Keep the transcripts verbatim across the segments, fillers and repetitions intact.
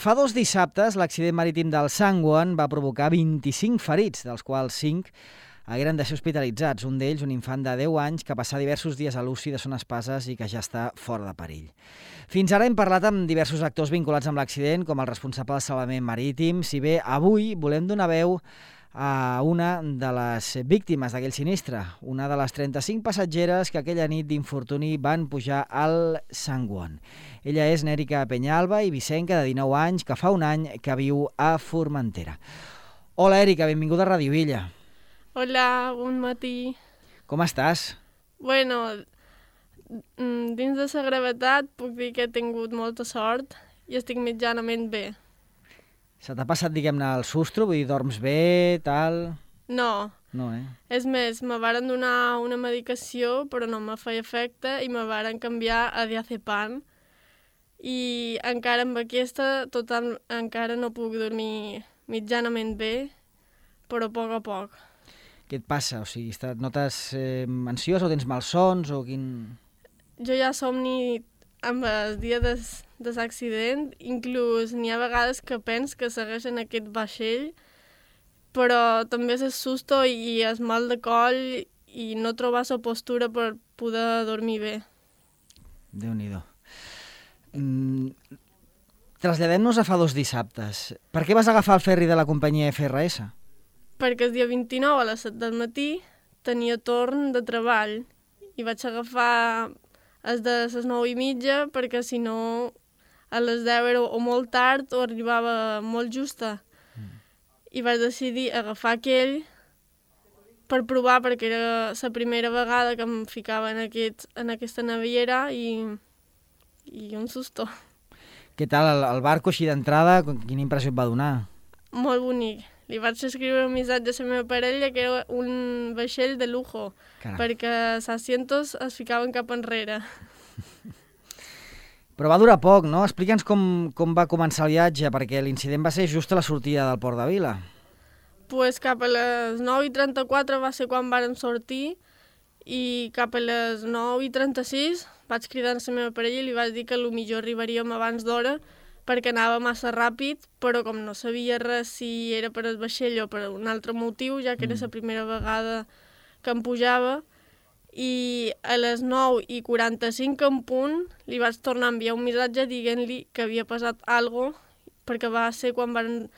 Fa dos dissabtes, l'accident marítim del Sangwon va provocar vint-i-cinc ferits, dels quals cinc hagueren de ser hospitalitzats. Un d'ells, un infant de deu anys, que passà diversos dies a l'U C I de Son Espases i que ja està fora de perill. Fins ara hem parlat amb diversos actors vinculats amb l'accident, com el responsable del salvament marítim, si bé avui volem donar veu a una de les víctimes d'aquell sinistre, una de les trenta-cinc passatgeres que aquella nit d'infortuni van pujar al Sangwon. Ella és Nèrica Peñalba i Vicenca, de dinou anys, que fa un any que viu a Formentera. Hola, Èrica, benvinguda a Ràdio Illa. Hola, bon matí. Com estàs? Bueno, dins de la gravetat puc dir que he tingut molta sort i estic mitjanament bé. Se t'ha passat, diguem-ne, el sustro? Vull dir, dorms bé, tal... No. No, eh? És més, me varen donar una medicació, però no me feia efecte, i me varen canviar a diazepam. I encara amb aquesta, total, encara no puc dormir mitjanament bé, però a poc a poc. Què et passa? O sigui, et notes eh, ansiós o tens malsons o quin... Jo ja somni amb el dia des, de l'accident, inclús n'hi ha vegades que pens que segueixen aquest vaixell, però també és el susto i el mal de coll i no trobar la postura per poder dormir bé. Déu-n'hi-do. Mm, traslladem-nos a fa dos dissabtes. Per què vas agafar el ferri de la companyia F R S? Perquè el dia vint-i-nou a les set del matí tenia torn de treball i vaig agafar els de les nou i mitja perquè si no a les deu era o molt tard o arribava molt justa. Mm. I vaig decidir agafar aquell per provar perquè era la primera vegada que em ficava en, aquest, en aquesta naviera i, i un susto. Què tal el, el barco així d'entrada? Quina impressió et va donar? Molt bonic. Li vaig escriure un missatge a la meva parella que era un vaixell de lujo, Caram. perquè els asientos es ficaven cap enrere. Però va durar poc, no? Explica'ns com, com va començar el viatge, perquè l'incident va ser just a la sortida del Port de Vila. Pues cap a les nou i trenta-quatre va ser quan vàrem sortir i cap a les nou i trenta-sis vaig cridar a la meva parella i li vaig dir que potser arribaríem abans d'hora perquè anava massa ràpid, però com no sabia res si era per el vaixell o per un altre motiu, ja que era la primera vegada que em pujava, i a les nou i quaranta-cinc en punt li vaig tornar a enviar un missatge dient-li que havia passat alguna cosa, perquè va ser quan van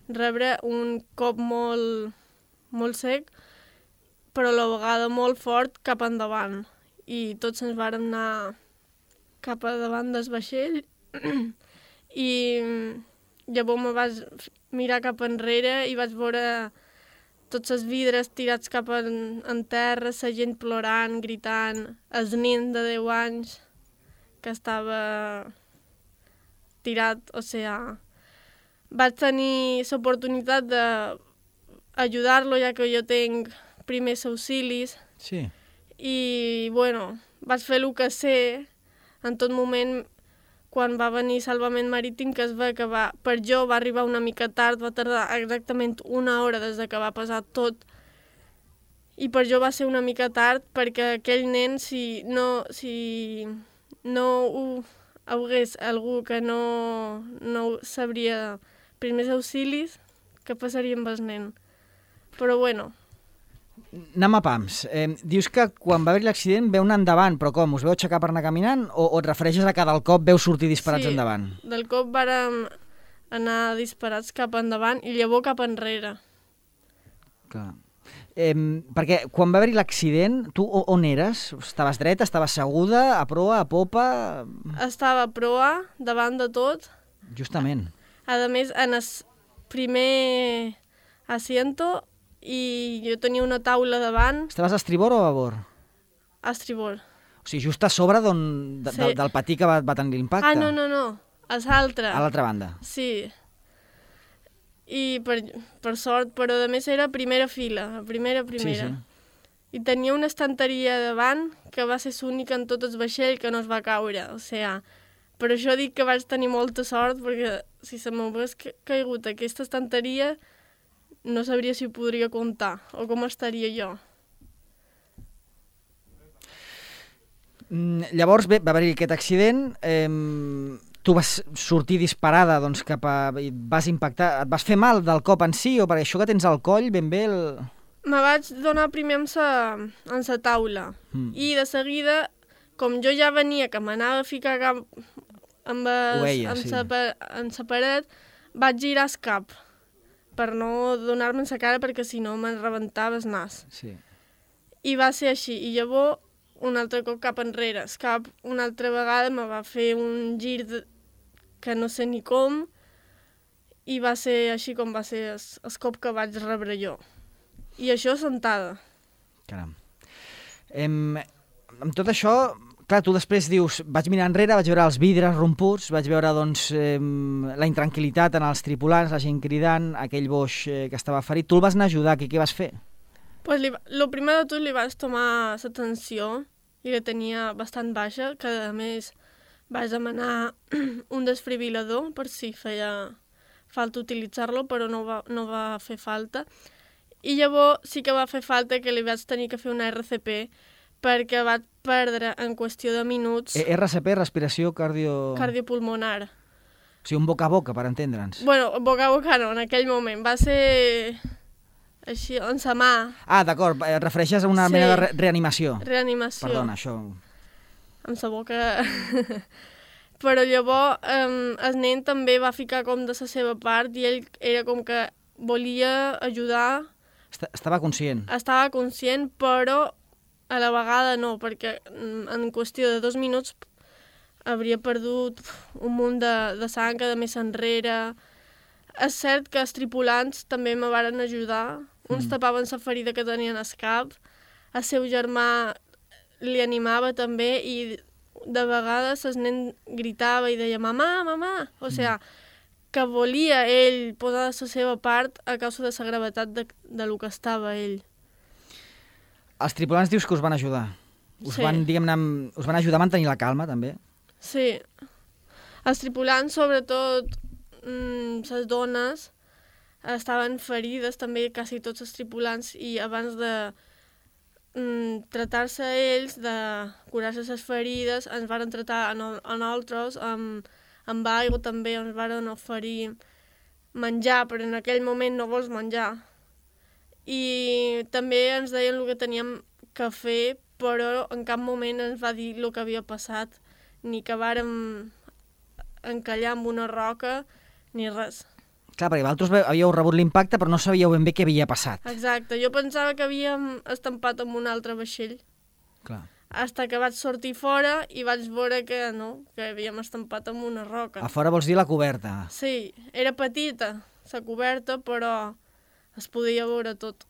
rebre un cop molt, molt sec, però a la vegada molt fort cap endavant, i tots ens vàrem anar cap a davant del vaixell, i llavors me vaig mirar cap enrere i vaig veure tots els vidres tirats cap en, en terra, la gent plorant, gritant, el nen de deu anys que estava tirat, o sigui, vaig tenir l'oportunitat d'ajudar-lo ja que jo tinc primers auxilis. Sí. I, bueno, vaig fer el que sé en tot moment. Quan va venir Salvament Marítim, que es va acabar, per jo va arribar una mica tard, va tardar exactament una hora des que va passar tot, i per jo va ser una mica tard perquè aquell nen, si no, si no ho hagués algú que no, no sabria primers auxilis, què passaria amb el nen? Però bueno... Anem a pams. Eh, dius que quan va haver l'accident veu anar endavant, però com? Us veu aixecar per anar caminant o, o et refereixes a que del cop veu sortir disparats sí, endavant? Sí, del cop vàrem anar disparats cap endavant i llavors cap enrere. Clar. Eh, perquè quan va haver l'accident, tu on eres? Estaves dreta, estaves seguda, a proa, a popa? Estava a proa, davant de tot. Justament. A més, en el primer asiento... i jo tenia una taula davant. Estaves a estribor o a babord? A estribor. O sigui, just a sobre de, sí. de, del patí que va, va tenir l'impacte? Ah, no, no, no, a l'altra. A l'altra banda? Sí. I per, per sort, però a més era primera fila, a primera, primera. Sí, sí. I tenia una estanteria davant que va ser l'única en tot el vaixell que no es va caure, o sigui, per això dic que vaig tenir molta sort, perquè si se m'hagués caigut aquesta estanteria no sabria si ho podria comptar o com estaria jo. Mm, llavors, bé, va haver-hi aquest accident. Eh, tu vas sortir disparada doncs, cap a... vas impactar... Et vas fer mal del cop en si o per això que tens al coll ben bé el... Me vaig donar primer amb sa, en sa taula mm. i de seguida, com jo ja venia que m'anava a ficar cap amb, es, veia, amb, sí. sa, amb sa paret, vaig girar el cap per no donar-me en sa cara perquè si no me'n rebentava el nas. Sí. I va ser així. I llavors, un altre cop cap enrere. El cap una altra vegada me va fer un gir de... que no sé ni com i va ser així com va ser el, el cop que vaig rebre jo. I això sentada. Caram. Em, amb tot això, clar, tu després dius, vaig mirar enrere, vaig veure els vidres romputs, vaig veure doncs, eh, la intranquil·litat en els tripulants, la gent cridant, aquell boix eh, que estava ferit. Tu el vas anar a ajudar, què, què vas fer? Pues li, lo primer de tot li vaig tomar l'atenció i la tenia bastant baixa, que a més vaig demanar un desfibrilador per si feia falta utilitzar-lo, però no va, no va fer falta. I llavors sí que va fer falta que li vaig tenir que fer una erre ce pe perquè vaig perdre en qüestió de minuts... E erre ce pe, respiració cardio... cardiopulmonar. O sigui, un boca a boca, per entendre'ns. Bueno, boca a boca no, en aquell moment. Va ser així, en sa mà. Ah, d'acord, et refereixes a una Sí. mena de re reanimació. Reanimació. Perdona, això... Amb sa boca... Però llavors eh, el nen també va ficar com de la seva part i ell era com que volia ajudar... Estava conscient. Estava conscient, però a la vegada no, perquè en qüestió de dos minuts hauria perdut un munt de, de sang de més enrere. És cert que els tripulants també me varen ajudar. Uns mm. tapaven la ferida que tenien al cap. El seu germà li animava també i de vegades el nen gritava i deia «mamà, mamà». O sigui, mm. que volia ell posar la seva part a causa de la gravetat de, de lo que estava ell. Els tripulants dius que us van ajudar. Us, sí. van, diguem-ne, us van ajudar a mantenir la calma, també? Sí. Els tripulants, sobretot mmm, les dones, estaven ferides, també quasi tots els tripulants, i abans de mmm, tratar-se ells, de curar-se les ferides, ens van tratar a, no, a nosaltres amb, amb aigua també, ens van oferir menjar, però en aquell moment no vols menjar. I també ens deien el que teníem que fer, però en cap moment ens va dir el que havia passat, ni que vàrem encallar amb una roca, ni res. Clar, perquè vosaltres havíeu rebut l'impacte, però no sabíeu ben bé què havia passat. Exacte, jo pensava que havíem estampat amb un altre vaixell. Clar. Hasta que vaig sortir fora i vaig veure que no, que havíem estampat amb una roca. A fora vols dir la coberta? Sí, era petita, la coberta, però es podia veure tot.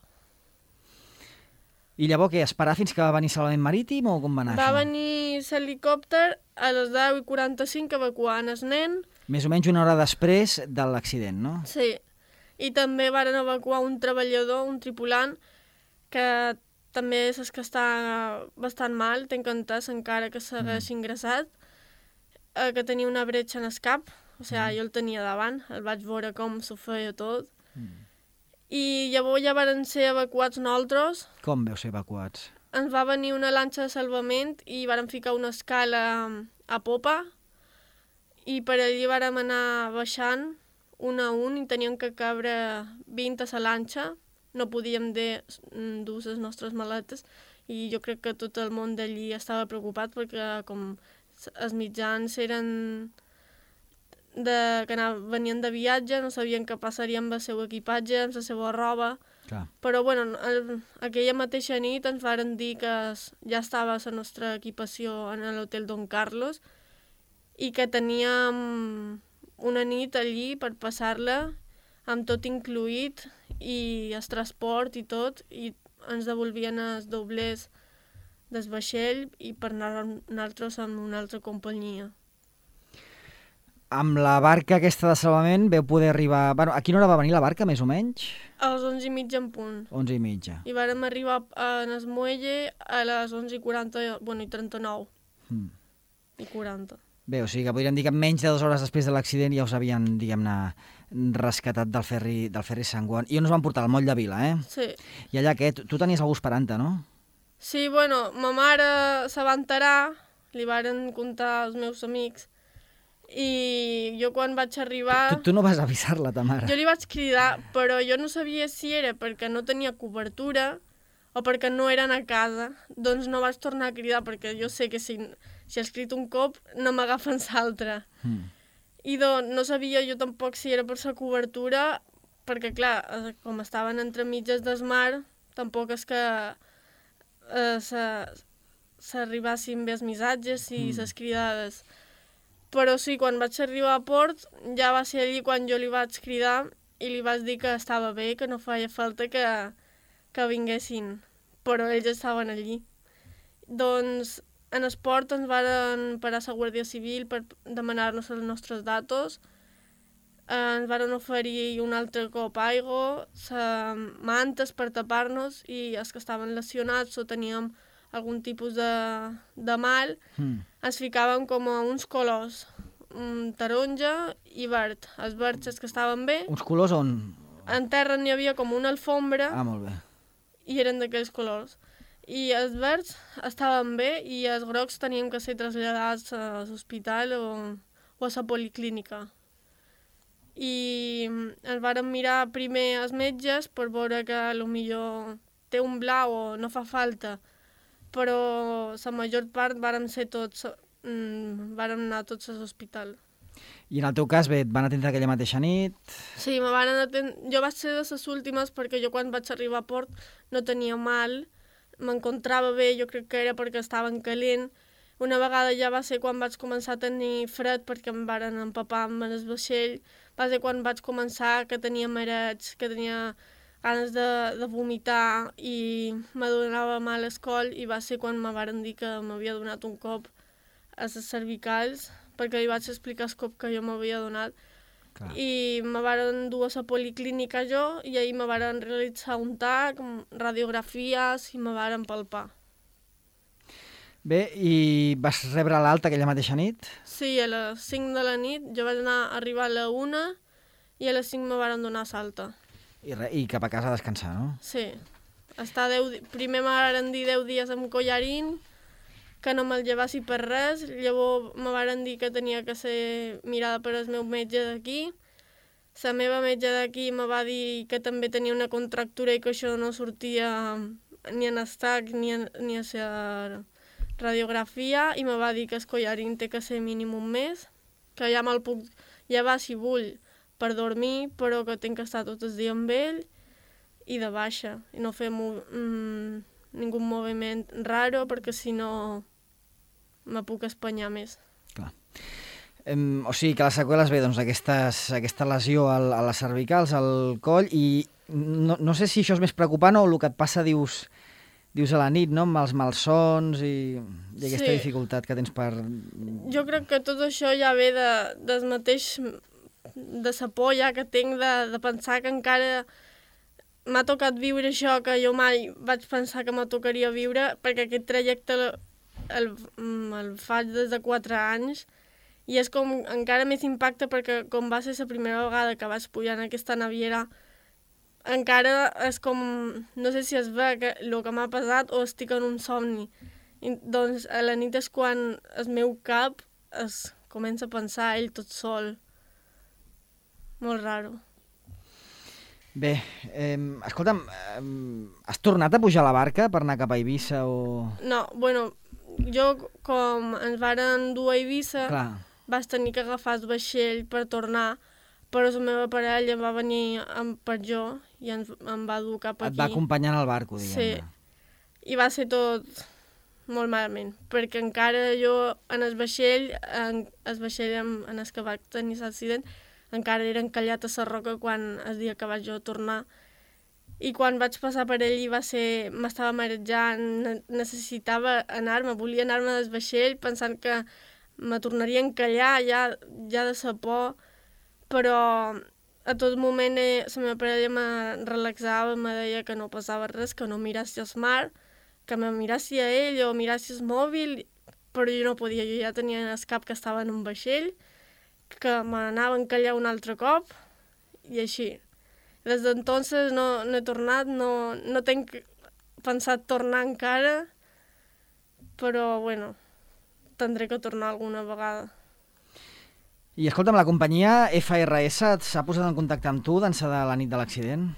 I llavors què, esperar fins que va venir Salvament Marítim o com va anar va això? Va venir l'helicòpter a les deu i quaranta-cinc evacuant el nen. Més o menys una hora després de l'accident, no? Sí, i també varen evacuar un treballador, un tripulant, que també és que està bastant mal, té entès encara que segueix mm. ingressat, eh, que tenia una bretxa en el cap, o sigui, mm. jo el tenia davant, el vaig veure com s'ho feia tot, mm. i llavors ja varen ser evacuats nosaltres. Com veu ser evacuats? Ens va venir una lanxa de salvament i varen ficar una escala a popa, i per allí vàrem anar baixant un a un i teníem que cabre vint a la lanxa. No podíem dur les nostres maletes i jo crec que tot el món d'allí estava preocupat perquè com els mitjans eren de, que anaven, venien de viatge, no sabien què passaria amb el seu equipatge, amb la seva roba. Clar. Però bueno, el, aquella mateixa nit ens varen dir que ja estava la nostra equipació en l'hotel Don Carlos i que teníem una nit allí per passar-la amb tot incluït i el transport i tot, i ens devolvien els doblers del vaixell i per anar nosaltres amb una altra companyia. Amb la barca aquesta de salvament veu poder arribar... Bueno, a quina hora va venir la barca, més o menys? A les onze i mitja en punt. onze i mitja. I vàrem arribar en el muelle a les onze i quaranta, bueno, i trenta-nou. Mm. I quaranta. Bé, o sigui que podríem dir que menys de dues hores després de l'accident ja us havien, diguem-ne, rescatat del ferri, del ferri Sant Joan. I on us van portar? Al moll de Vila, eh? Sí. I allà què? Tu tenies algú esperant-te, no? Sí, bueno, ma mare se va enterar, li varen contar als meus amics, I jo quan vaig arribar... Tu, tu no vas avisar-la, ta mare? Jo li vaig cridar, però jo no sabia si era perquè no tenia cobertura o perquè no eren a casa. Doncs no vaig tornar a cridar, perquè jo sé que si, si has crit un cop no m'agafen l'altre. Mm. I doncs no sabia jo tampoc si era per la cobertura, perquè clar, com estaven entre mitges del mar, tampoc és que eh, s'arribassin bé els missatges i mm. les cridades. Però sí, quan vaig arribar a port, ja va ser allí quan jo li vaig cridar i li vaig dir que estava bé, que no feia falta que, que vinguessin, però ells estaven allí. Doncs en el port ens van parar la Guàrdia Civil per demanar-nos els nostres datos, ens van oferir un altre cop aigua, mantes per tapar-nos i els que estaven lesionats o teníem algun tipus de, de mal, mm. ens ficàvem com a uns colors, un taronja i verd. Els verds els que estaven bé... Uns colors on? En terra n'hi havia com una alfombra. Ah, molt bé. I eren d'aquells colors. I els verds estaven bé i els grocs teníem que ser traslladats a l'hospital o, o a la policlínica. I ens vàrem mirar primer els metges per veure que potser té un blau o no fa falta, però la major part vàrem ser tots, mm, vàrem anar tots a l'hospital. I en el teu cas, bé, et van atendre aquella mateixa nit? Sí, me van atendre... Jo vaig ser de les últimes perquè jo quan vaig arribar a port no tenia mal, m'encontrava bé, jo crec que era perquè estava en calent. Una vegada ja va ser quan vaig començar a tenir fred perquè em varen empapar amb el vaixell, va ser quan vaig començar que tenia marets, que tenia ganes de, de vomitar i me donava mal el coll i va ser quan me varen dir que m'havia donat un cop a les cervicals perquè li vaig explicar el cop que jo m'havia donat. Clar. I me varen dur a la policlínica jo i ahir me varen realitzar un tac, radiografies i me varen palpar. Bé, i vas rebre l'alta aquella mateixa nit? Sí, a les cinc de la nit. Jo vaig anar a arribar a la una i a les cinc me varen donar l'alta. I, re, I cap a casa a descansar, no? Sí. Estar deu, primer me varen dir deu dies amb collarín, que no me'l llevassi per res, llavors me varen dir que tenia que ser mirada per el meu metge d'aquí. La meva metge d'aquí me va dir que també tenia una contractura i que això no sortia ni en estac ni, en, ni a la radiografia i me va dir que el collarín té que ser mínim un mes, que ja me'l puc llevar si vull per dormir, però que tinc que estar tot el dia amb ell i de baixa, i no fer mm, ningú moviment raro, perquè si no me puc espanyar més. Clar. Um, o sigui que les seqüeles, bé, doncs aquestes, aquesta lesió al, a les cervicals, al coll, i no, no sé si això és més preocupant o el que et passa, dius, dius a la nit, no?, amb els malsons i, i aquesta sí. dificultat que tens per... Jo crec que tot això ja ve de, del mateix... de la por ja que tinc de, de pensar que encara m'ha tocat viure això que jo mai vaig pensar que me tocaria viure, perquè aquest trajecte el, el, el faig des de quatre anys i és com encara més impacte perquè com va ser la primera vegada que vaig pujar en aquesta naviera, encara és com, no sé si es ve que, el que m'ha passat o estic en un somni. I, doncs a la nit és quan el meu cap es comença a pensar ell tot sol. Molt raro. Bé, eh, escolta'm, eh, has tornat a pujar a la barca per anar cap a Eivissa o...? No, bueno, jo com ens varen dur a Eivissa, Clar. vaig tenir que agafar el vaixell per tornar, però la meva parella va venir amb, per jo i ens, em va dur cap aquí. Et va acompanyar al barco, diguem-ne. Sí, i va ser tot molt malament, perquè encara jo en el vaixell, en el vaixell en, en el que vaig tenir l'accident, encara era encallat a la roca quan el dia que vaig jo tornar. I quan vaig passar per ell va ser... m'estava marejant, necessitava anar-me, volia anar-me del vaixell pensant que me tornaria a encallar ja, ja de sa por, però a tot moment eh, la meva parella me relaxava, me deia que no passava res, que no mirassi el mar, que me mirassi a ell o mirassi el mòbil, però jo no podia, jo ja tenia el cap que estava en un vaixell, que m'anava a encallar un altre cop, i així. Des d'entonces no, no he tornat, no, no tinc pensat tornar encara, però, bueno, tindré que tornar alguna vegada. I escolta'm, la companyia F R S s'ha posat en contacte amb tu d'ençà de la nit de l'accident?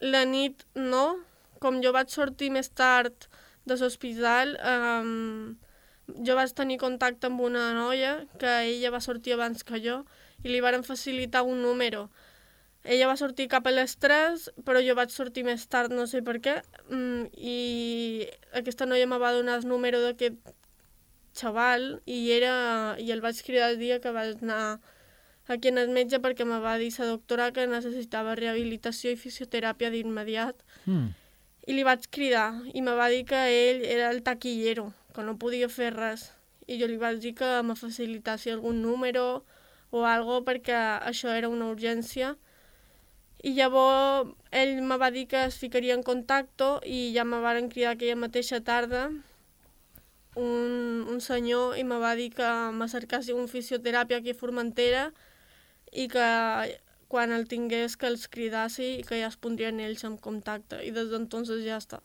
La nit no. Com jo vaig sortir més tard de l'hospital, um, jo vaig tenir contacte amb una noia que ella va sortir abans que jo i li varen facilitar un número. Ella va sortir cap a les tres, però jo vaig sortir més tard, no sé per què, um, i aquesta noia me va donar el número d'aquest xaval i, era, i el vaig cridar el dia que vaig anar aquí en el metge perquè me va dir la doctora que necessitava rehabilitació i fisioteràpia d'immediat. Mm. I li vaig cridar i me va dir que ell era el taquillero, que no podia fer res. I jo li vaig dir que me facilitassi algun número o algo perquè això era una urgència. I llavors ell me va dir que es ficaria en contacte i ja me varen cridar aquella mateixa tarda un, un senyor i me va dir que me cercassi un fisioteràpia aquí a Formentera i que quan el tingués que els cridassi i que ja es pondrien ells en contacte. I des d'entonces ja està.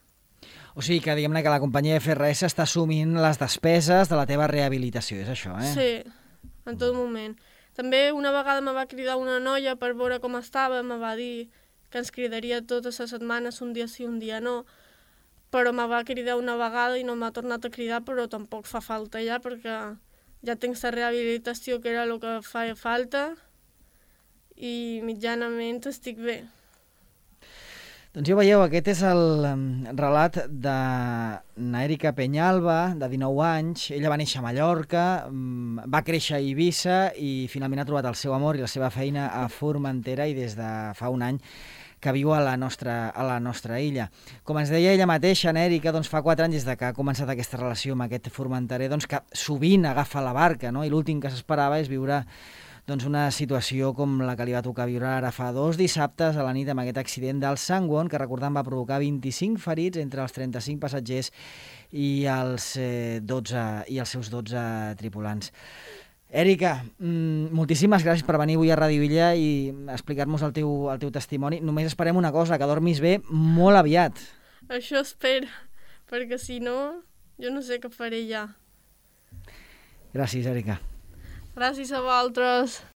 O sigui que diguem-ne que la companyia F R S està assumint les despeses de la teva rehabilitació, és això, eh? Sí, en tot moment. També una vegada me va cridar una noia per veure com estava, me va dir que ens cridaria totes les setmanes, un dia sí, un dia no, però me va cridar una vegada i no m'ha tornat a cridar, però tampoc fa falta ja, perquè ja tinc la rehabilitació que era el que feia falta i mitjanament estic bé. Doncs ja veieu, aquest és el relat de n'Èrica Peñalba, de dinou anys. Ella va néixer a Mallorca, va créixer a Eivissa i finalment ha trobat el seu amor i la seva feina a Formentera i des de fa un any que viu a la nostra, a la nostra illa. Com ens deia ella mateixa, n'Èrica, doncs fa quatre anys des de que ha començat aquesta relació amb aquest formenterer, doncs que sovint agafa la barca, no? I l'últim que s'esperava és viure doncs una situació com la que li va tocar viure ara fa dos dissabtes a la nit amb aquest accident del Sangwon, que recordem va provocar vint-i-cinc ferits entre els trenta-cinc passatgers i els, eh, dotze, i els seus dotze tripulants. Èrica, mmm, moltíssimes gràcies per venir avui a Ràdio Illa i explicar-nos el teu, el teu testimoni. Només esperem una cosa, que dormis bé molt aviat. Això espero, perquè si no, jo no sé què faré ja. Gràcies, Èrica. Gràcies a vosaltres.